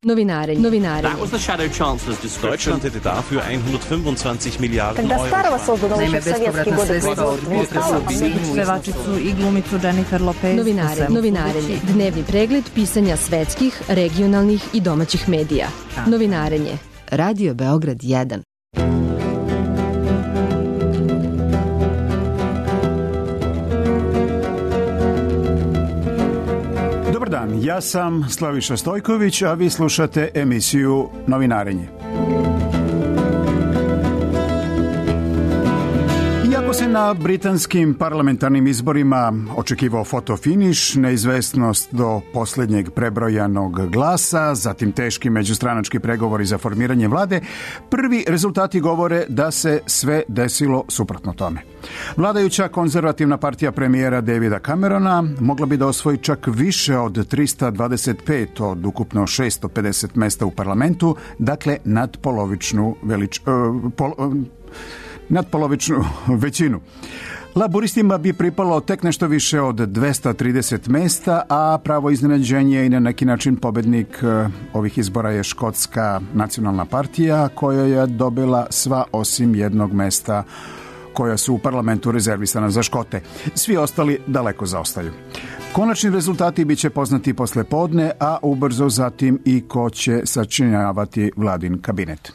Novinare. That was the Shadow Chancellor's description. Deutschland hätte dafür 125 Miliarden Когда Euro. старого создан еще в советские годы производства, pevačicu i glumicu Jennifer Lopez. Novinarenje. Dnevni pregled pisanja svetskih, regionalnih i domaćih medija. Novinarenje. Radio Beograd 1. Dobar dan, ja sam Slaviša Stojković, a vi slušate emisiju Novinarenje. Iako se na britanskim parlamentarnim izborima očekivao fotofiniš, neizvesnost do posljednjeg prebrojanog glasa, zatim teški međustranački pregovori za formiranje vlade, prvi rezultati govore da se sve desilo suprotno tome. Vladajuća konzervativna partija premijera Davida Camerona mogla bi da osvoji čak više od 325 od ukupno 650 mesta u parlamentu, dakle nadpolovičnu većinu. Laburistima bi pripalo tek nešto više od 230 mesta, a pravo iznenađenje i na neki način pobednik ovih izbora je Škotska nacionalna partija, koja je dobila sva osim jednog mesta koja su u parlamentu rezervisana za Škote. Svi ostali daleko zaostaju. Konačni rezultati bit će poznati posle podne, a ubrzo zatim i ko će sačinjavati vladin kabinet.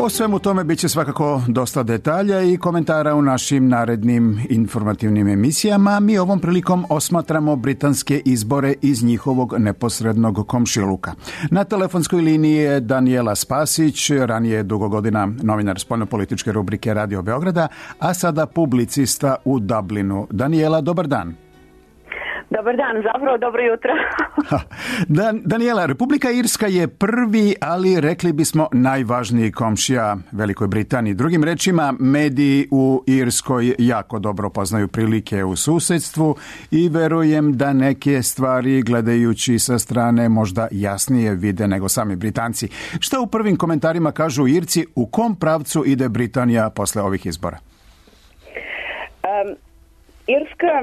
O svemu tome bit će svakako dosta detalja i komentara u našim narednim informativnim emisijama. Mi ovom prilikom osmatramo britanske izbore iz njihovog neposrednog komšiluka. Na telefonskoj liniji je Danijela Spasić, ranije dugo godina novinar spoljnopolitičke rubrike Radio Beograda, a sada publicista u Dublinu. Danijela, dobar dan. Dobar dan, zapravo dobro jutro. Danijela, Republika Irska je prvi, ali rekli bismo najvažniji komšija Velikoj Britaniji. Drugim rečima, mediji u Irskoj jako dobro poznaju prilike u susedstvu i verujem da neke stvari gledajući sa strane možda jasnije vide nego sami Britanci. Šta u prvim komentarima kažu Irci, u kom pravcu ide Britanija posle ovih izbora? Irska,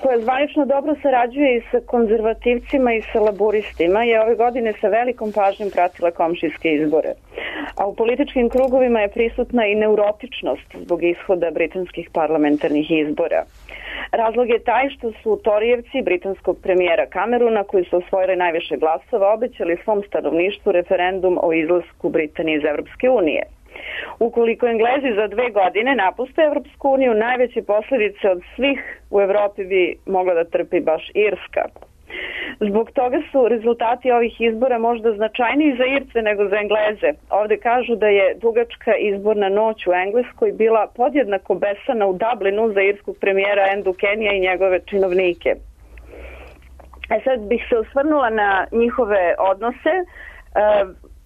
koja zvanično dobro sarađuje i sa konzervativcima i sa laburistima, je ove godine sa velikom pažnjom pratila komšijske izbore. A u političkim krugovima je prisutna i neurotičnost zbog ishoda britanskih parlamentarnih izbora. Razlog je taj što su Torijevci britanskog premijera Camerona, koji su osvojili najviše glasova, obećali svom stanovništvu referendum o izlasku Britanije iz Evropske unije. Ukoliko Englezi za 2 godine napuste Evropsku uniju, najveće posljedice od svih u Evropi bi mogla da trpi baš Irska. Zbog toga su rezultati ovih izbora možda značajniji za Irce nego za Engleze. Ovde kažu da je dugačka izborna noć u Engleskoj bila podjednako besana u Dublinu za irskog premijera Andu Kenija i njegove činovnike. Sad bih se osvrnula na njihove odnose.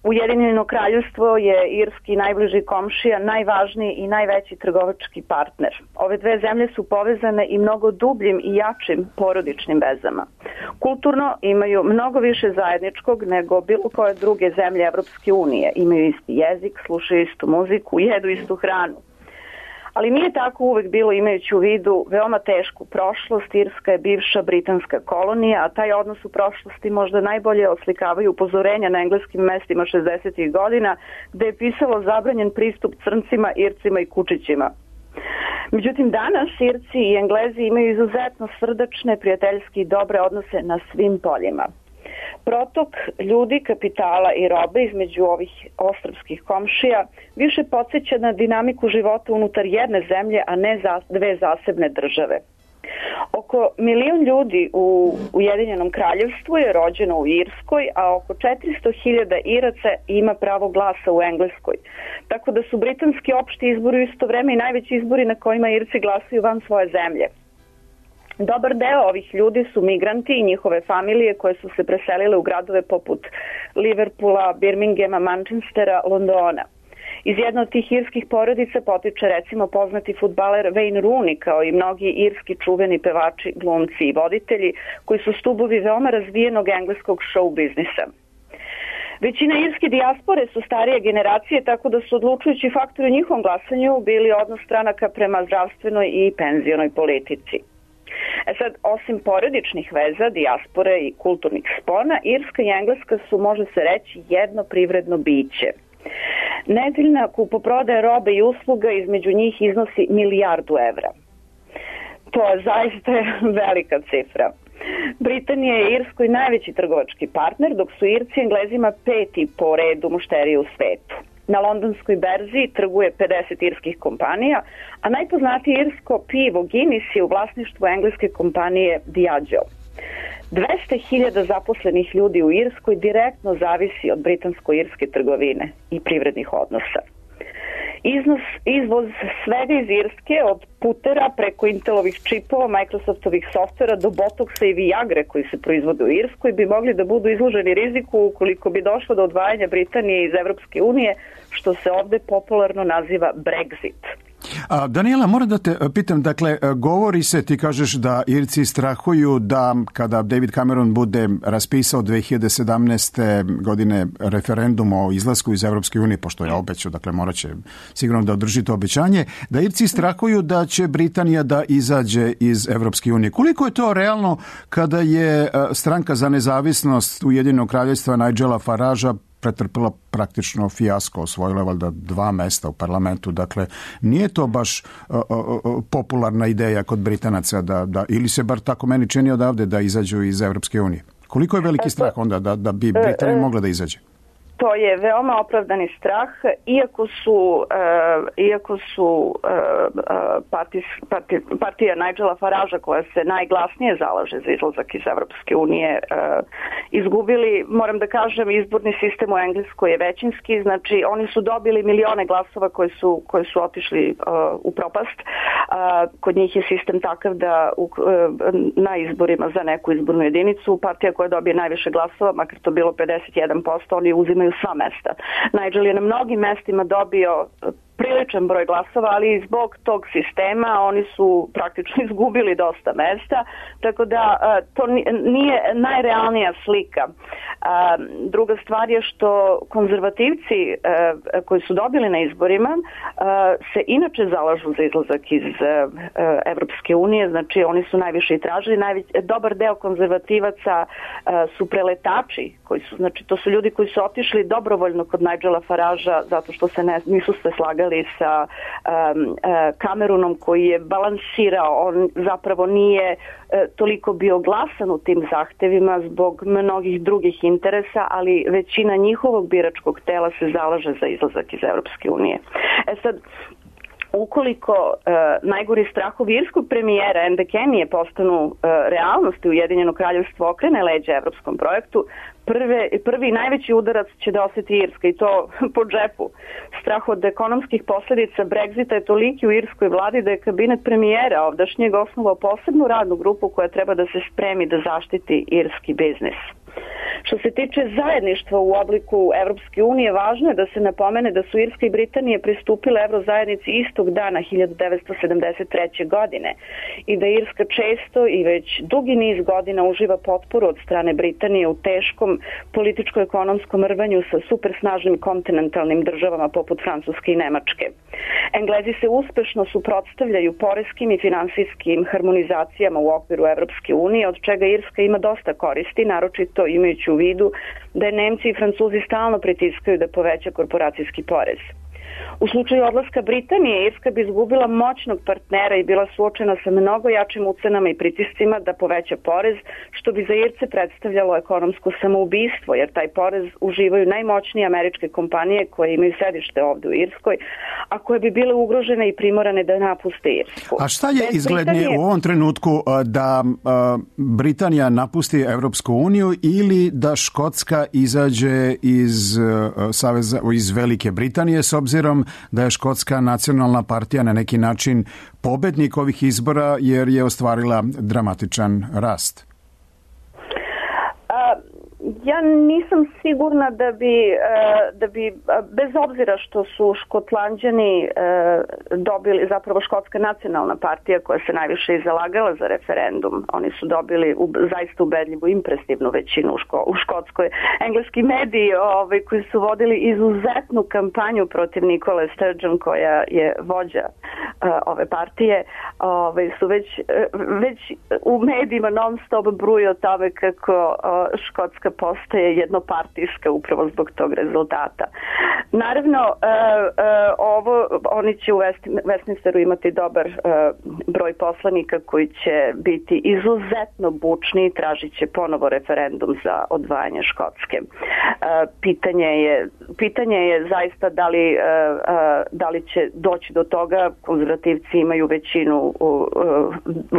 Ujedinjeno kraljevstvo je irski najbliži komšija, najvažniji i najveći trgovački partner. Ove dve zemlje su povezane i mnogo dubljim i jačim porodičnim vezama. Kulturno imaju mnogo više zajedničkog nego bilo koje druge zemlje Evropske unije. Imaju isti jezik, slušaju istu muziku, jedu istu hranu. Ali nije tako uvek bilo, imajući u vidu veoma tešku prošlost. Irska je bivša britanska kolonija, a taj odnos u prošlosti možda najbolje oslikavaju upozorenja na engleskim mestima 60. godina, gde je pisalo zabranjen pristup crncima, Ircima i kučićima. Međutim, danas Irci i Englezi imaju izuzetno srdačne, prijateljske i dobre odnose na svim poljima. Protok ljudi, kapitala i robe između ovih ostrvskih komšija više podsjeća na dinamiku života unutar jedne zemlje, a ne dve zasebne države. Oko 1 milion ljudi u Ujedinjenom kraljevstvu je rođeno u Irskoj, a oko 400.000 Iraca ima pravo glasa u Engleskoj. Tako da su britanski opšti izbori u isto vreme i najveći izbori na kojima Irci glasaju van svoje zemlje. Dobar deo ovih ljudi su migranti i njihove familije koje su se preselile u gradove poput Liverpoola, Birminghama, Manchestera, Londona. Iz jedne od tih irskih porodica potiče recimo poznati fudbaler Wayne Rooney, kao i mnogi irski čuveni pevači, glumci i voditelji koji su stubovi veoma razvijenog engleskog show biznisa. Većina irske dijaspore su starije generacije, tako da su odlučujući faktori u njihovom glasanju bili odnos stranaka prema zdravstvenoj i penzionoj politici. Sad, osim porodičnih veza, dijaspore i kulturnih spona, Irska i Engleska su, može se reći, jedno privredno biće. Nedeljna kupoprodaja robe i usluga između njih iznosi $1 milijardu. To je zaista velika cifra. Britanija je Irskoj najveći trgovački partner, dok su Irci Englezima 5. po redu mušterije u svetu. Na londonskoj berzi trguje 50 irskih kompanija, a najpoznatije irsko pivo Guinness je u vlasništvu engleske kompanije Diageo. 200.000 zaposlenih ljudi u Irskoj direktno zavisi od britansko-irske trgovine i privrednih odnosa. Izvoz svega iz Irske, od putera preko Intelovih čipova, Microsoftovih softvera do Botoxa i Viagre koji se proizvode u Irskoj bi mogli da budu izloženi riziku ukoliko bi došlo do odvajanja Britanije iz Evropske unije, što se ovde popularno naziva Brexit. Daniela, moram da te pitam, dakle, govori se, ti kažeš da Irci strahuju da kada David Cameron bude raspisao 2017. godine referendum o izlasku iz Evropske unije, pošto je obećao, dakle morat će sigurno da održi to obećanje, da Irci strahuju da će Britanija da izađe iz Evropske unije. Koliko je to realno kada je stranka za nezavisnost Ujedinjenog kraljevstva Nigela Faragea pretrpila praktično fijasko, osvojila valjda 2 mesta u parlamentu. Dakle, nije to baš popularna ideja kod Britanaca da ili se bar tako meni čini odavde da izađu iz Evropske unije. Koliko je veliki strah onda da bi Britanija mogla da izađe? To je veoma opravdani strah, iako su partija Nigela Faragea, koja se najglasnije zalaže za izlazak iz Evropske unije, izgubili. Moram da kažem, izborni sistem u Engleskoj je većinski, znači oni su dobili milione glasova koji su otišli u propast. Kod njih je sistem takav da na izborima za neku izbornu jedinicu partija koja dobije najviše glasova, makar to bilo 51%, oni uzimaju sva mesta. Nigel je na mnogim mestima dobio priličan broj glasova, ali zbog tog sistema oni su praktično izgubili dosta mesta, tako da to nije najrealnija slika. Druga stvar je što konzervativci koji su dobili na izborima se inače zalažu za izlazak iz Evropske unije, znači oni su najviše i tražili. Dobar deo konzervativaca su preletači, znači to su ljudi koji su otišli dobrovoljno kod Nigela Faragea zato što se nisu se slagali sa Cameronom koji je balansirao. On zapravo nije toliko bio glasan u tim zahtevima zbog mnogih drugih interesa, ali većina njihovog biračkog tela se zalaže za izlazak iz Evropske unije. Sad, ukoliko najgori strahovi irskog premijera Enda Kenije postanu realnost i Ujedinjeno kraljevstvo okrene leđa evropskom projektu, prvi najveći udarac će da osjeti Irska, i to po džepu. Strah od ekonomskih posljedica Brexita je toliki u irskoj vladi da je kabinet premijera ovdašnjeg osnovao posebnu radnu grupu koja treba da se spremi da zaštiti irski biznis. Što se tiče zajedništva u obliku Evropske unije, važno je da se napomene da su Irska i Britanija pristupile Evrozajednici istog dana 1973. godine i da Irska često i već dugi niz godina uživa potporu od strane Britanije u teškom političko-ekonomskom rvanju sa supersnažnim kontinentalnim državama poput Francuske i Nemačke. Englezi se uspešno suprotstavljaju poreskim i finansijskim harmonizacijama u okviru Evropske unije, od čega Irska ima dosta koristi, naročito imajući u vidu da je Nemci i Francuzi stalno pritiskaju da poveća korporacijski porez. U slučaju odlaska Britanije, Irska bi izgubila moćnog partnera i bila suočena sa mnogo jačim ucenama i pritiscima da poveća porez, što bi za Irce predstavljalo ekonomsko samoubistvo, jer taj porez uživaju najmoćnije američke kompanije koje imaju sedište ovde u Irskoj, a koje bi bile ugrožene i primorane da napuste Irsku. A šta je izglednije u ovom trenutku, da Britanija napusti Evropsku uniju ili da Škotska izađe iz Velike Britanije, s obzirom da je Škotska nacionalna partija na neki način pobednik ovih izbora jer je ostvarila dramatičan rast? Ja nisam sigurna da bi bez obzira što su Škotlanđani dobili, zapravo Škotska nacionalna partija koja se najviše i zalagala za referendum, oni su dobili zaista ubedljivu impresivnu većinu u Škotskoj. Engleski mediji koji su vodili izuzetnu kampanju protiv Nikole Sturgeon, koja je vođa ove partije, su već u medijima non stop bruju o tome kako Škotska postaje jednopartijska upravo zbog tog rezultata. Naravno, oni će u Westminsteru imati dobar broj poslanika koji će biti izuzetno bučni i tražit će ponovo referendum za odvajanje Škotske. Pitanje je zaista da li će doći do toga. Konzervativci imaju većinu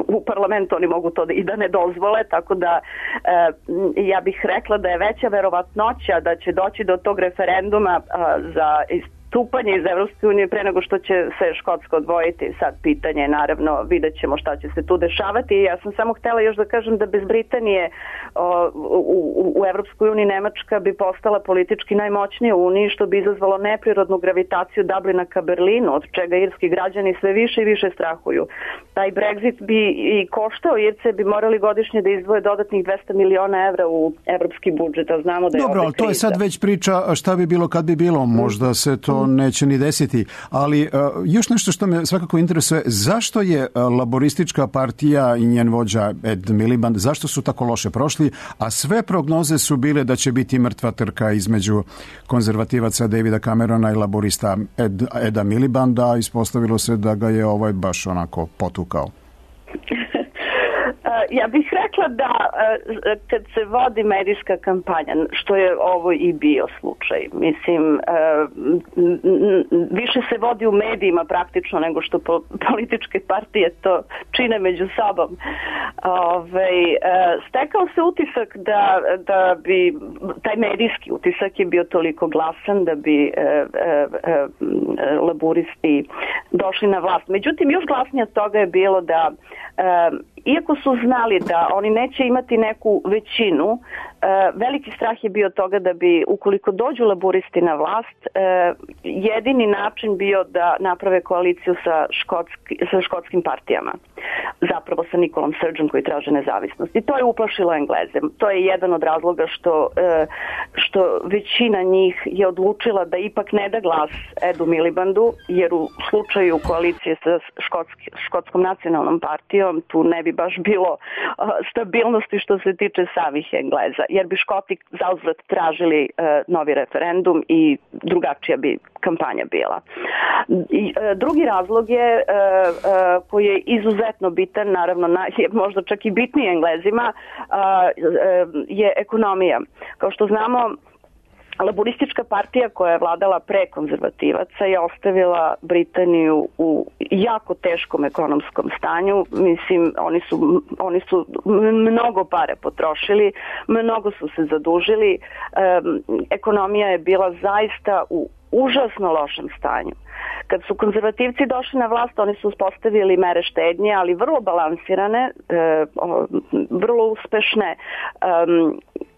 u parlamentu, oni mogu to i da ne dozvole, tako da ja bih rekla da je veća verovatnoća da će doći do tog referenduma za istupanje iz Evropske unije pre nego što će se Škotska odvojiti. Sad pitanje je, naravno, vidjet ćemo šta će se tu dešavati. Ja sam samo htjela još da kažem da bez Britanije u Evropskoj uniji Nemačka bi postala politički najmoćnija u uniji, što bi izazvalo neprirodnu gravitaciju Dublina ka Berlinu, od čega irski građani sve više i više strahuju. Taj Brexit bi i koštao, Irce bi morali godišnje da izdvoje dodatnih 200 miliona evra u evropski budžet, a znamo da je dobro, ali to je sad već priča šta bi bilo kad bi bilo, možda se to neće ni desiti, ali još nešto što me svakako interesuje, zašto je laboristička partija i njen vođa Ed Miliband, zašto su tako loše prošli, a sve prognoze su bile da će biti mrtva trka između konzervativaca Davida Camerona i laborista Eda Milibanda, ispostavilo se da ga je baš onako potukao. Ja bih rekla da kad se vodi medijska kampanja, što je ovo i bio slučaj, mislim, više se vodi u medijima praktično nego što političke partije to čine među sobom. Stekao se utisak da bi, taj medijski utisak je bio toliko glasan da bi laburisti došli na vlast. Međutim, još glasnije od toga je bilo da iako su znali da oni neće imati neku većinu, veliki strah je bio toga da bi, ukoliko dođu laburisti na vlast, jedini način bio da naprave koaliciju sa škotskim partijama. Zapravo sa Nikolom Sturgeon koji traže nezavisnost. I to je uplašilo Engleze. To je jedan od razloga što većina njih je odlučila da ipak ne da glas Edu Milibandu, jer u slučaju koalicije sa Škotskom nacionalnom partijom tu ne bi baš bilo stabilnosti što se tiče samih Engleza, jer bi Škoti zauzvrat tražili novi referendum i drugačija bi kampanja bila. Drugi razlog je koji je izuzetno bitan, naravno je možda čak i bitniji Englezima, je ekonomija. Kao što znamo, laboristička partija koja je vladala pre konzervativaca je ostavila Britaniju u jako teškom ekonomskom stanju. Mislim, oni su mnogo pare potrošili, mnogo su se zadužili, ekonomija je bila zaista u užasno lošem stanju. Kad su konzervativci došli na vlast, oni su uspostavili mere štednje, ali vrlo balansirane, vrlo uspešne.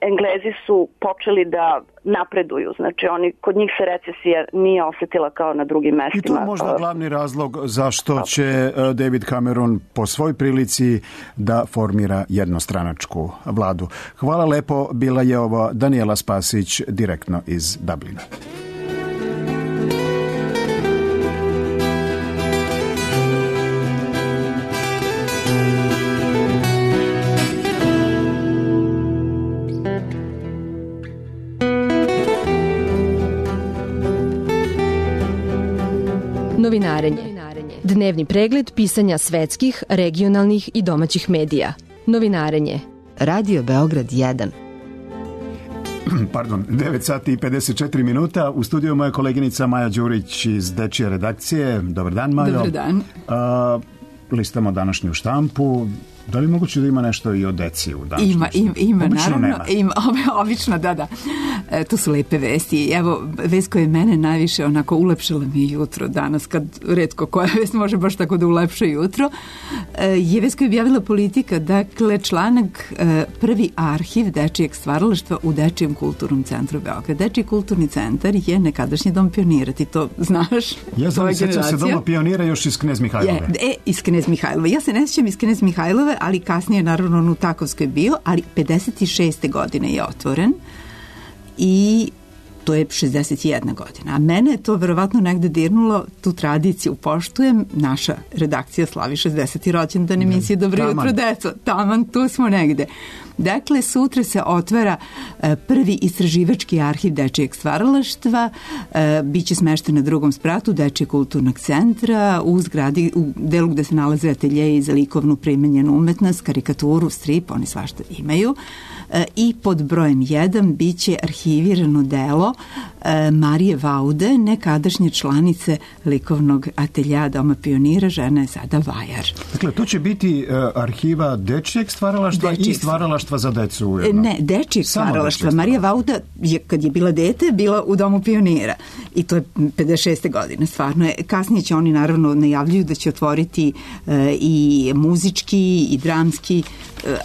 Englezi su počeli da napreduju, znači kod njih se recesija nije osetila kao na drugim mestima. I to je možda glavni razlog zašto će David Cameron po svoj prilici da formira jednostranačku vladu. Hvala lepo, bila je ovo Danijela Spasić direktno iz Dublina. Novinarenje. Dnevni pregled pisanja svetskih, regionalnih i domaćih medija. Novinarenje. Radio Beograd 1. Pardon, 9 sati i 54 minuta. U studiju moja koleginica Maja Đurić iz Dečije redakcije. Dobar dan, Majo. Dobar dan. Listamo današnju štampu. Da li moguće da ima nešto i o deci u današnjem? Ima, obično naravno. Nema. Obično, da. To su lepe vesti. Evo, vest koja je mene najviše onako ulepšala mi je jutro danas, kad retko koja vest može baš tako da ulepša jutro, je vest koju je objavila Politika. Dakle, članak prvi arhiv dečijeg stvaralaštva u Dečijem kulturnom centru Beograd. Dečiji kulturni centar je nekadašnji dom Pionira, ti to znaš? Ja znam, sjećam se doma Pionira još iz Knez Mihajlove. Iz Knez Mihajlove. Ja se ne sjećam iz Knez Mihajlove, ali kasnije naravno on u Takovskoj bio, ali 56. godine je otvoren i to je 61 godina. A mene je to verovatno negde dirnulo, tu tradiciju poštujem. Naša redakcija slavi 60. rođendan emisije Dobro jutro, deco. Taman, tu smo negde. Dakle, sutra se otvara prvi istraživački arhiv dečijeg stvaralaštva, biće smešten na drugom spratu Dečijeg kulturnog centra u zgradi, u delu gde se nalaze ateljeji za likovnu primenjenu umetnost, karikaturu, strip, oni svašta imaju. I pod brojem 1 biće arhivirano delo Marije Vaude, nekadašnje članice likovnog atelja Doma Pionira, žena je sada vajar. Dakle, to će biti arhiva dečijeg stvaralaštva i stvaralaštva za decu ujedno. Ne, dečijeg stvaralaštva. Marija Vauda, kad je bila dete, bila u Domu Pionira. I to je 56. godine, stvarno. Kasnije će oni naravno najavljuju da će otvoriti i muzički i dramski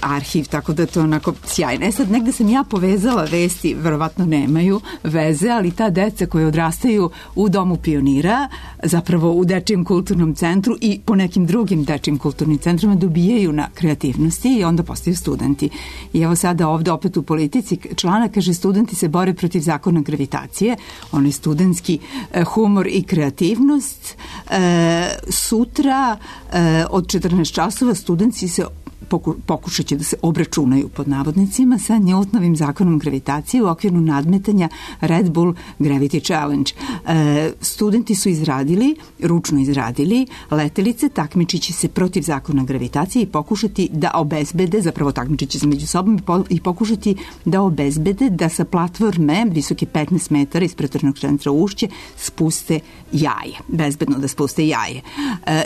arhiv, tako da je to onako sjajno. Sad, negde sam ja povezala vesti, verovatno nemaju veze, ali ta deca koja odrastaju u Domu Pionira, zapravo u Dečijem kulturnom centru i po nekim drugim dečijim kulturnim centrima dobijaju na kreativnosti i onda postaju studenti. I evo sada ovde opet u Politici članak kaže studenti se bore protiv zakona gravitacije, onaj studentski humor i kreativnost. Sutra od 14 časova studenti se pokušat će da se obračunaju pod navodnicima sa Newtonovim zakonom gravitacije u okviru nadmetanja Red Bull Gravity Challenge. Studenti su ručno izradili letelice, takmičit će se protiv zakona gravitacije i pokušati da obezbede, zapravo takmičit će se među sobom i pokušati da obezbede da sa platforme visoke 15 metara iz Pretornog centra Ušće spuste jaje. Bezbedno da spuste jaje.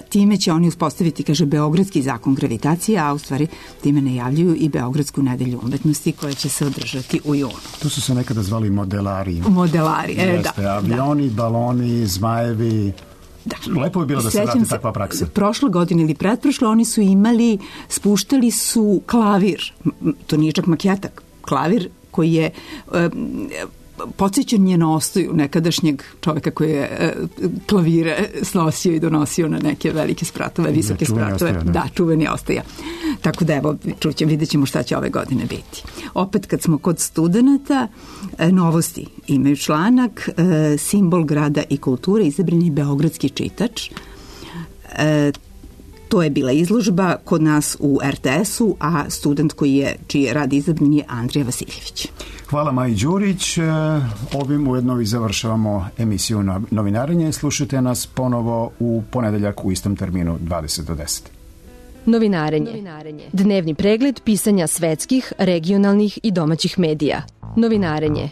Time će oni uspostaviti, kaže, Beogradski zakon gravitacije, a u stvari time najavljuju i Beogradsku nedelju umetnosti koja će se održati u junu. Tu su se nekada zvali modelari. Da. Avioni, baloni, zmajevi. Da. Lepo je bilo da se vrati takva praksa. Prošle godine ili pretprošle oni su spuštali su klavir. To nije čak maketa. Klavir koji je podsjećan je na Ostoju, nekadašnjeg čoveka koji je klavire snosio i donosio na neke velike spratove, visoke spratove. Da, čuveni Ostoja. Tako da evo, vidjet ćemo šta će ove godine biti. Opet kad smo kod studenata, novosti imaju članak, simbol grada i kulture, izabran je beogradski čitač. To je bila izložba kod nas u RTS-u, a student čiji je rad izabran je Andrija Vasiljević. Hvala Maji Đurić. Ovim ujedno i završavamo emisiju Novinarenje. Slušajte nas ponovo u ponedeljak u istom terminu 20 do 10. Novinarenje. Dnevni pregled pisanja svetskih, regionalnih i domaćih medija. Novinarenje.